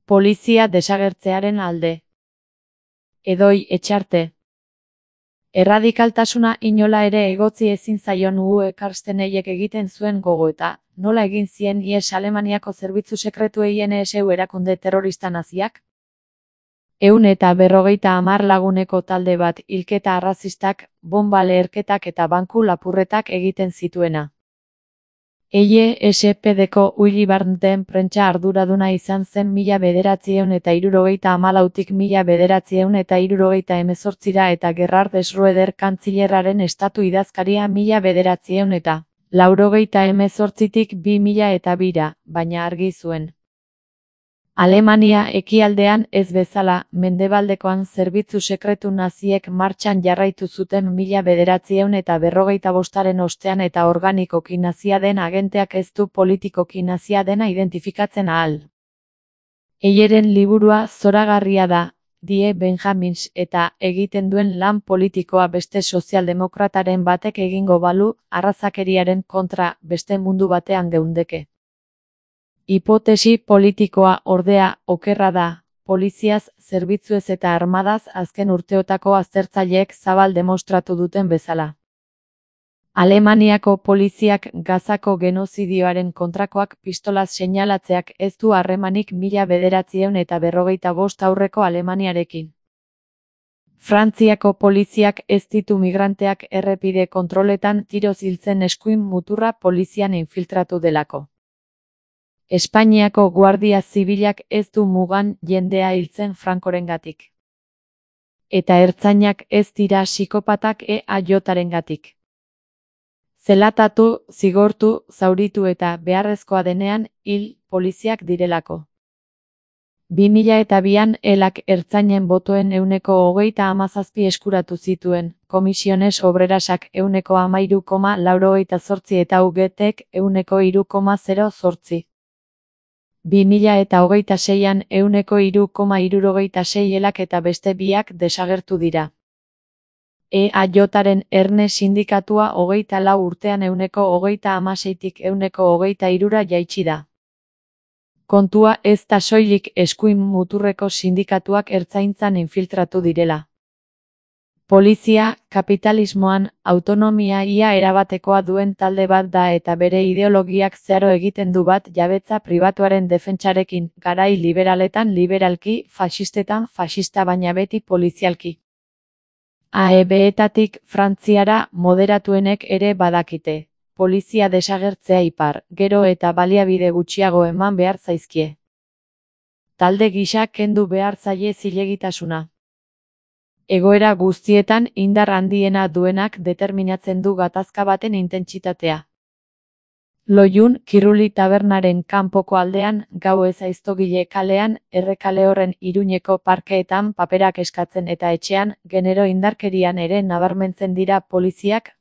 Polizia desagertzearen alde. Edoi Etxarte. Erradikaltasuna inola ere egotzi ezin zaion Uwe Karsteneiek egiten zuen gogoeta, nola egin zien ihes Alemaniako zerbitzu sekretuei NSU erakunde terrorista naziak? 150 laguneko talde bat hilketa arrazistak, bonba leherketak eta banku lapurretak egiten zituena. SPD-ko Willy Brandt-en prentsa arduraduna izan zen 1974tik 1978ra eta Gerhard Schröder kantzilerraren estatu idazkaria 1988tik 2002ra, baina argi zuen. Alemania ekialdean ez bezala, mendebaldekoan zerbitzu sekretu naziek martxan jarraitu zuten 1945aren ostean eta organikoki nazia den agenteak ez du politikoki nazia dena identifikatzen ahal. Eyeren liburua zoragarria da, Die Benjamins, eta egiten duen lan politikoa beste sozialdemokrataren batek egingo balu, arrazakeriaren kontra beste mundu batean geundeke. Hipotesi politikoa ordea okerra da, poliziaz, zerbitzuez eta armadaz azken urteotako aztertzaileek zabal demostratu duten bezala. Alemaniako poliziak Gazako genozidioaren kontrakoak pistolaz seinalatzeak ez du harremanik 1945 aurreko Alemaniarekin. Frantziako poliziak ez ditu migranteak errepide kontroletan tiroz hiltzen eskuin muturra polizian infiltratu delako. Espainiako Guardia Zibilak ez du mugan jendea hiltzen Francorengatik. Eta ertzainak ez dira psikopatak EAJarengatik. Zelatatu, zigortu, zauritu eta beharrezkoa denean hil poliziak direlako. 2002an elak ertzainen botoen 37% eskuratu zituen, Komisiones Obrerasak 13,88 eta UGTek 3,08. 2026an 3,66 elak eta beste biak desagertu dira. EAJaren Erne sindikatua 24 urtean 36tik 23ra jaitsi da. Kontua ez da soilik eskuin muturreko sindikatuak ertzaintzan infiltratu direla. Polizia, kapitalismoan, autonomia ia erabatekoa duen talde bat da eta bere ideologiak zeharo egiten du bat jabetza pribatuaren defentsarekin, garai liberaletan liberalki, faxistetan faxista baina beti polizialki. AEB-etatik Frantziara moderatuenek ere badakite. Polizia desagertzea ipar, gero eta baliabide gutxiago eman behar zaizkie. Talde gisa kendu behar zaie zilegitasuna. Egoera guztietan indar handiena duenak determinatzen du gatazka baten intentsitatea. Loiun Kiruli tabernaren kanpoko aldean, gau ez aiztogile kalean, Errekale horren Iruñeko parkeetan paperak eskatzen eta etxean, genero indarkerian ere nabarmentzen dira poliziak,